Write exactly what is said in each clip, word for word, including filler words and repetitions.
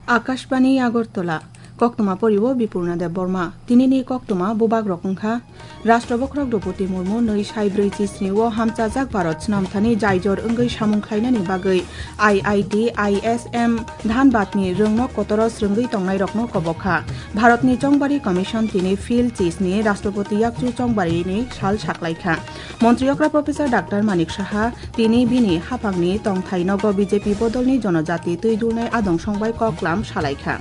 Akashbani Agartala, koktwma poriwo Bipurna Debbarma. Tinini koktwma bubagrok wngkha: Rashtra Bokhorok Droupadi Murmu nwi sai brwi chisni o hamchajak Bharat snamthani jaijor wngwi samung khlainani bagwi I I T, I S M Dhanbadni rwngnok kotoro srwngwi tongnairokno kobokha. Bharatni Chongbari Commission tini Phil chisni Rashtrapati yakchu chongbarini sal saklaikha. Montri okra Professor Doctor Manik Saha tini bini haphangni tongthai nogo B J P bodolni jonojati twi dulnai adong songbai koklam salaikha.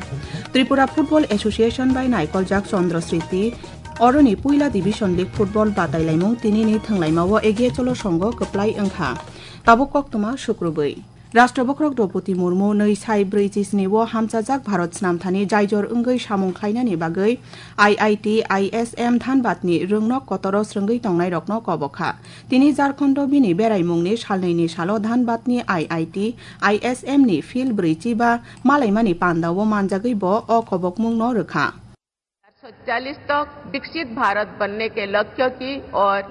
Tripura Football Association bai naikoljak Chandra Sriti oroni puila Division League football batailaimung tinini thwnglaimao Egiye Cholo songo kwplai wngkha. Tabuk koktwma sukrubwi. Rashtra Bokhorok Droupadi Murmu nwi sai brwi chisni o hamchajak Bharat snamthani jaijor wngwi samung khlainani bagwi I I T, I S M Dhanbadni rwngnok kotoro srwngwi tongnairokno kobokha. Tini Jharkhando bini beraimungni salnwini salo Dhanbadni I I T, I S M ni Phil brwi chiba malaimani pandao manjagwi bo o kobokmungno rwkha. चार सौ चालीस तक विकसित भारत बनने के लक्ष्य की ओर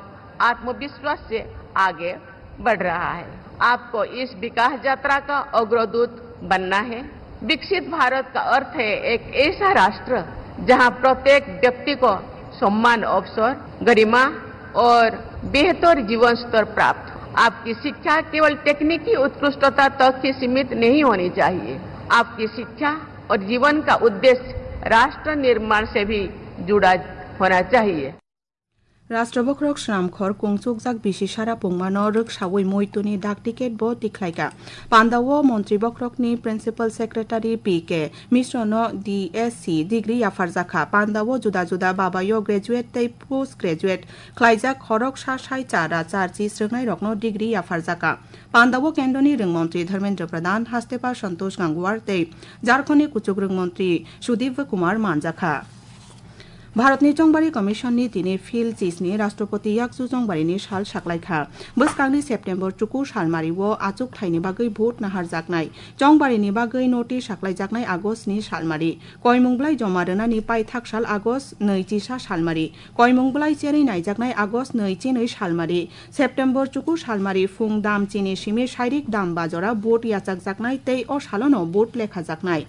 आत्मविश्वास से आगे बढ़ रहा है। आपको इस विकास यात्रा का अग्रदूत बनना है। विकसित भारत का अर्थ है एक ऐसा राष्ट्र जहां प्रत्येक व्यक्ति को सम्मान, अवसर, गरिमा और बेहतर जीवन स्तर प्राप्त हो। आपकी शिक्षा केवल तकनीकी उत्कृष्टता तक ही सीमित नहीं होनी चाहिए। आपकी शिक्षा और जीवन का उद्देश्य राष्ट्र निर्माण से भी जुड़ा होना चाहिए। Rashtra Bokhorok Swnamkhor kungchukjak bisi sara pungmano rwksaui muituni dak ticket bo tikhlaikha. Pandao Montri Bokhorokni Principal Secretary P K Misrono D S C degree yapharjakha. Pandao juda juda babayo graduate tei post graduate khlaijak khoroksa sai chara charchi srwngnairokno degree yapharjakha. Pandao kendroni rwngmontri Dharmendra Pradhan, Hastepa Santosh Gangwar tei Jharkhondni kuchuk rwngmontri Sudip Kumar manjakha. Bharatni Chongbari Commission ni tini Phil chisni Rashtrapati yakchu chongbarini sal saklaikha. Bwskangni September chuku salmari o achuk thaini bagwi vote naharjaknai, chongbarini bagwi notice saklaijaknai August ni salmari, koimung blai joma rwnani paithak sal August nwi chisa salmari, koimung blai cherwi naijaknai August nwi chinwi salmari, September chuku salmari phung dam chini simi sairik dam bajora vote yachakjaknai tei o salono vote lekhajaknai.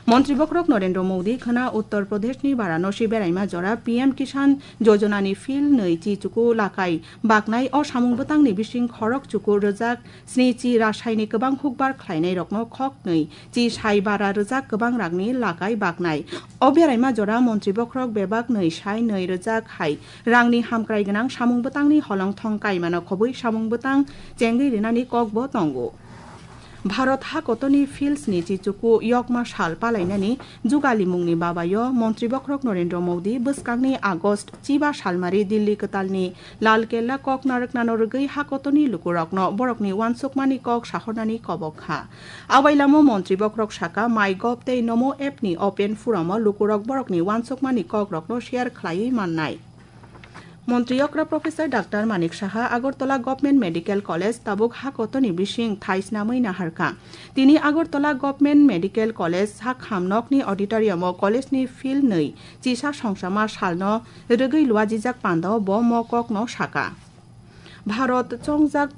Montri Bokhorok Narendra Modi khwna Uttar Pradeshni Varanasi beraima jora P M Kisan Jojonani Phil nwi chi chuku lakai baknai o samung bwtangni bising khorok chuku rwjak sni chi rasaini kwbang hukbar khlainairokno khok nwi chi sai bara rwjak kwbang rangni lakai baknai. O beraima jora Montri Bokhorok bebak nwi sai nwi rwjak hai rangni hamkrai gwnang samung bwtangni holong thong kaimano khobwi samung bwtang chengwi rinani kokbo tongo. Bharat hakotoni Phil sni chi chuku yokma sal palainani jugalimungni babayo Montri Bokhorok Narendra Modi bwskangni August chiba salmari Delhi kwtalni Lal Kella kok narwknano rwgwi hakotoni lukurokno borokni uansukmani kok sahornani kobok kha. Abailamo Montri Bokhorok saka, MyGov tei Namo app ni open forum o lukurok borokni uansukmani kokrokno share khlaiwi mannai. Montri okra Professor Doctor Manik Saha Agartala Government Medical College tabuk hakotoni bising thai snamwi naharkha. Tini Agartala Government Medical College sak khamnokni auditorium o college ni Phil nwi chisa songsama salno rwgwi luajijak pandao bo mo kokno saka. Bharat chongjak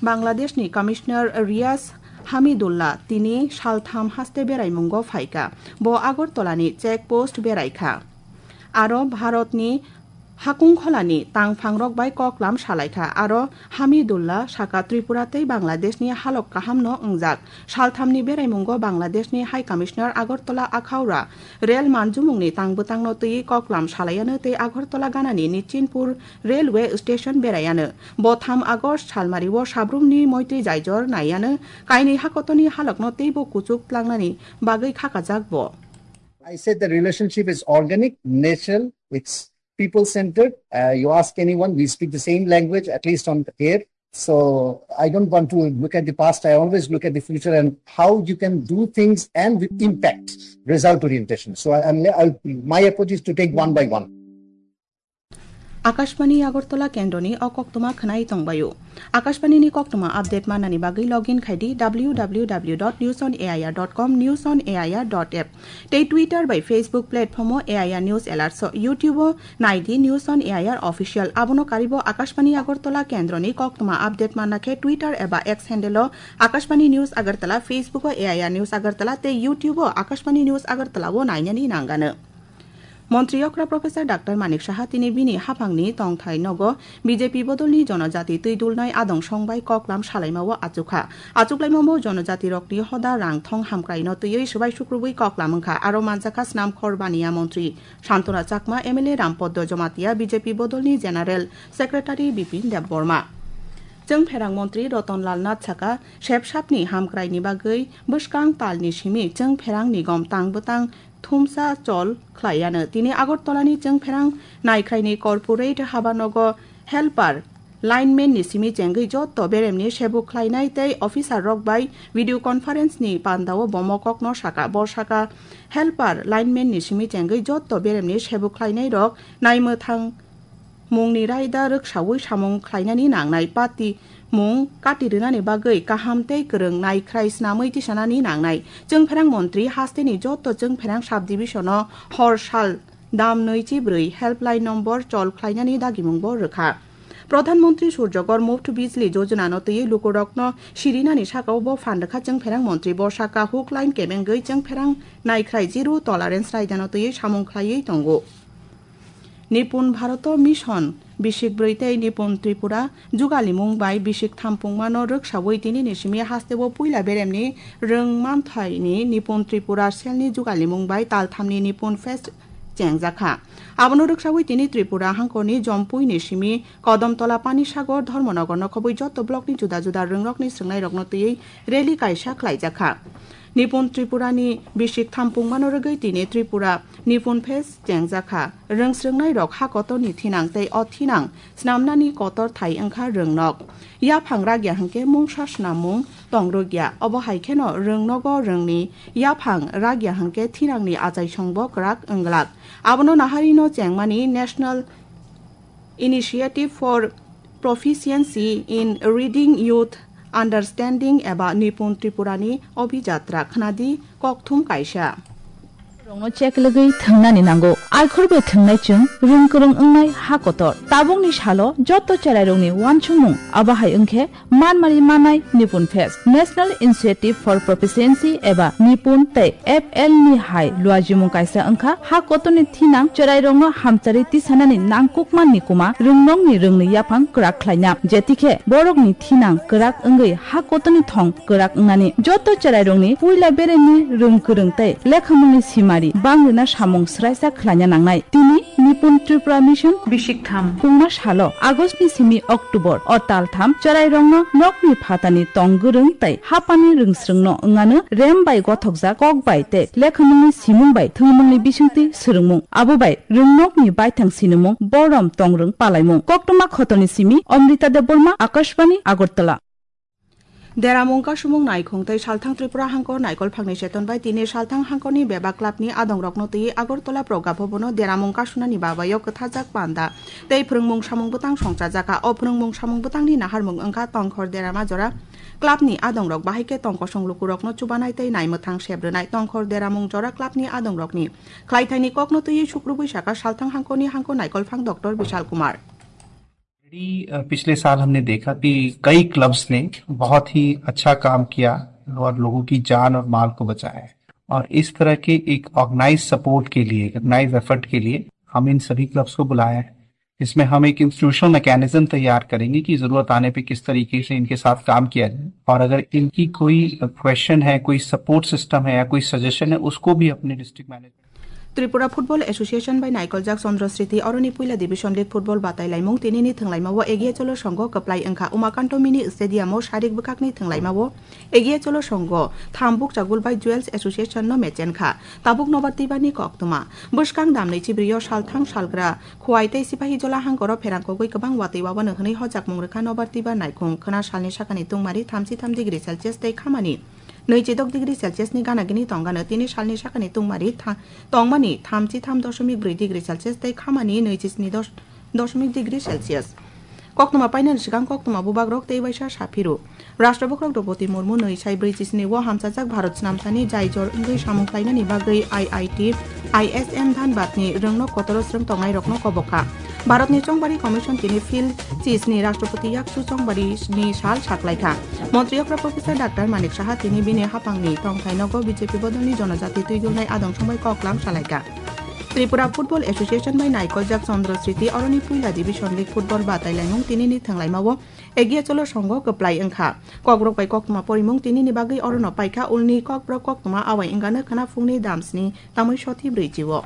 Bangladeshni Commissioner Riyaz Hamidullah tini saltham haste beraimungo phaikha. Bo Agartalani check post beraikha. Aro Bharatni hakungkholani tangphangrok bai koklam salaikha. Aro Hamidullah saka Tripura tei Bangladeshni halok kahamno wngjak. Salthamni beraimungo Bangladeshni High Commissioner Agartala Akhaura rel manjumungni tangbwtangno twiwi koklam salaiano tei Agartala ganani Nichinpur Railway Station beraiano. Bo tham August salmario sabrumni moitwi jaijor naiano, kainwi hakotoni halokno teibo kuchuk tlangnani bagwi khakajak bo. I said the relationship is organic, natural, it's people centered. Uh, you ask anyone, we speak the same language, at least on air. So I don't want to look at the past. I always look at the future and how you can do things and with impact, result orientation. So I, I'm, I, my approach is to take one by one. Akashbani Agartala kendroni o koktwma khwnai tongbaio. Akashbani ni koktwma update manani bagwi login khai di W W W dot news on A I R dot com, news on A I R dot app. Tei Twitter bai Facebook platform o A I R News Alerts o, YouTube o nai di News on A I R Official. Abono karibo Akashbani Agartala kendroni koktwma update manna khe Twitter eba X handle o Akashbani News Agartala, Facebook o A I R News Agartala tei YouTube o Akashbani News Agartala o nainani nangano. Montri okra Professor Doctor Manik Saha tini bini haphangni tongthai nogo B J P bodolni jonojati twi dulnai adong songbai koklam salaimao achukha. Achuklaimao jonojati rokni hoda rang thong hamkraino twiwi swbai sukrubwi koklam wngkha. Aro manjakha Snamkhor Baniya Montri Santona Chakma, M L A Rampoddo Jomatia, B J P bodolni General Secretary Bipin Debbarma. Chwngpherang Montri Roton Lal Nath saka, sepsapni hamkraini bagwi bwskang talni simi chwngpherang nigom tang bwtang thumsa chol khlaiano. Tini Agartalani chwngpherang naikhraini corporate habanogo helper, lineman ni simi chengwi jotto beremni sebuk khlainai tei officer rok bai video conference ni pandao bomo kokno saka. Bo saka, helper, lineman ni simi chengwi jotto beremni sebuk khlainai rok naimwthang mungni raida rwksaui samung khlainani nangnai. Pati mung kati rwnani bagwi kaham tei kwrwng naikhrai snamwi tisanani nangnai. Chwngpherang Montri hasteni jotto chwngpherang sub division o hor sal dam nui chi brwi helpline number chol khlainani dagimung bo rwkha. Pradhan Montri Surjagor Muft Bijli Jojana no twiwi lukurokno sirinani sakao bo phan rwkha chwngpherang Montri. Bo saka hook line kebengwi chwngpherang naikhrai zero tolerance raida no twiwi samung khlaiwi tongo. Nipun Bharoto Mission bisik brwi tei Nipun Tripura jugalimung bai bisik thampungmano rwksaui tini ni simi hasteo puila beremni rwngmanthaini Nipun Tripura selni jugalimung bai talthamni Nipun Fest chengjakha. Abono rwksaui tini Tripura hangkorni Jompuini simi Kodamtola, Panisagar, Dharmanagar nokhobwi joto blockni juda juda rwngrokni swrwngnairokno twiwi rally kaisa khlaijakha. Nipun Tripurani bisik thampungmano rwgwi tini Tripura Nipun Fest chengjakha. Rwngsrwngnairok ha kotorni thinang tei o thinang snamnani kotor thai wngkha rwngnok. Yaphang ragya hwnkhe mungsa snamung tong rwgya. Obo hai kheno rwngnogo rwngni yaphang ragya hwnkhe thinangni achaisongbo kwrak wng glak. Abono naharino chengmani National Initiative for Proficiency in Reading, Youth Understanding eba Nipun Tripurani Obhijatra khnadi kokthum kaisa. Rokno cheklogwi thwngnani nango. Aikhorbe thwngnai chwng rwngkwrwng wngnai ha kotor. Tabukni salo joto cherairokni uansukmung abo hai wngkhe manmari manai Nipun Fest, National Initiative for Proficiency eba Nipun tei F L ni hai luajimung kaisa wngkha. Ha kotorni thinang cherairokno hamcharwi tisanani nangkukmani kuma rwngnokni rwngni yaphang kwrak khlaina. Jetikhe borokni thinang kwrak wngwi ha kotorni thong kwrak wngnani. Joto cherairokni puila beremni rwngkwrwng tei lekhamungni simari bangrwna samung swraisa khlaina nangnai. Tini Nipun Tripura Mission bisik tham pungma salo August ni simi October o tal tham cherairokno nokni phatani tong gwrwng tei hapani rwngsrwngno wngano rem bai gothokjak kok bai tei lekhamungni simung bai thwngmungni bisingtwi swrwngmung. Abo bai rwngnokni baithang sinimung borom tongrwng palaimung. Koktwma khotoni simi Amrita Debbarma, Akashbani, Agartala. Deramung kasumung naikhung tei salthang Tripura hangkor naikol phangni cheton bai tini salthang hangkorni bebak clubni adongrokno twiwi Agartala Progga Bhabono deramung kasunani babaio kwthajak panda tei phwrwngmung samung bwtang songchajakha. O phwrwngmung samung bwtangni naharmung wngkha Tongkhor Derama jora clubni adongrok, bahai khe tongkosong lukurokno chubanai tei naimwthang sep rwnai. Tongkhor Deramung jora clubni adongrokni khlaithaini kokno twiwi sukrubwi sakha salthang hangkorni hangkor naikolphang Doctor Bishal Kumar. Already, अ, पिछले साल हमने देखा कि कई क्लब्स ने बहुत ही अच्छा काम किया और लोगों की जान और माल को बचाया है। और इस तरह के एक ऑर्गेनाइज सपोर्ट के लिए, ऑर्गेनाइज एफर्ट के लिए हम इन सभी क्लब्स को बुलाया है, जिसमें हम एक इंस्टीट्यूशनल मैकेनिज्म तैयार करेंगे कि जरूरत आने पे किस तरीके से इनके साथ काम किया जाए, और अगर इनकी कोई क्वेश्चन है, कोई सपोर्ट सिस्टम है या कोई सजेशन है, उसको भी अपने district management Tripura Football Association bai naikoljak Chandra Sriti oroni puila division league football batai laimung tinini thwnglaimao Egiya Cholo Songho kwplai wngkha. Umakanto Mini Stadium o sarik bwkhakni thwnglaimao Egiya Cholo Songho tham bukcha gul bai Jewels Association no mechenkha. Tabuk Nobar Twibar ni koktwma. Bwskang damni chibrio salthang salgra Khowai tei Sipahijola hangkoro pherang kogwi kwbang watwi wabano hwnwi hojakmung rwkha Nobar Twibar naikhung. Khwna salni sakani tungmari thamchi tham degree Celsius tei khamani nwichi dok degree Celsius ni gana gini tongano. Tini salni sakani tungmari tha-, tongmani thamchi tham doshomik brwi degree Celsius tei khamani nwichi sni dos Doshmik degree Celsius. Koktwma painani swkang koktwma bubagrok tei waisa saphiru. Rashtrapati Draupadi Murmu nwi sai brwi chisni o hamchajak Bharat snamsani jai jor wngwi samung khlainani bagwi I I T, I S M Dhanbadni rwngno kotoro swrwng tongnairokno kobokha. Bharatni Chongbari Commission tini Phil chisni Rashtrapati yakchu Chongbari ni sal saklaikha. Montri okra Professor Doctor Manik Saha tini bini hapangni tongthai nogo B J P bodolni jonojati twidulnai adong songbai koklam salaikha. Tripura Football Association bai naikoljak Chandra Sriti oroni puila Division League football batailaimung tinini thwnglaimao Egia Cholo Songho kwplai wngkha. Kokrok bai koktwma porimung tinini bagwi orono paikha, ulni kokborok koktwma awai wngano khwna phungni damsni tamwi soti brwi chio.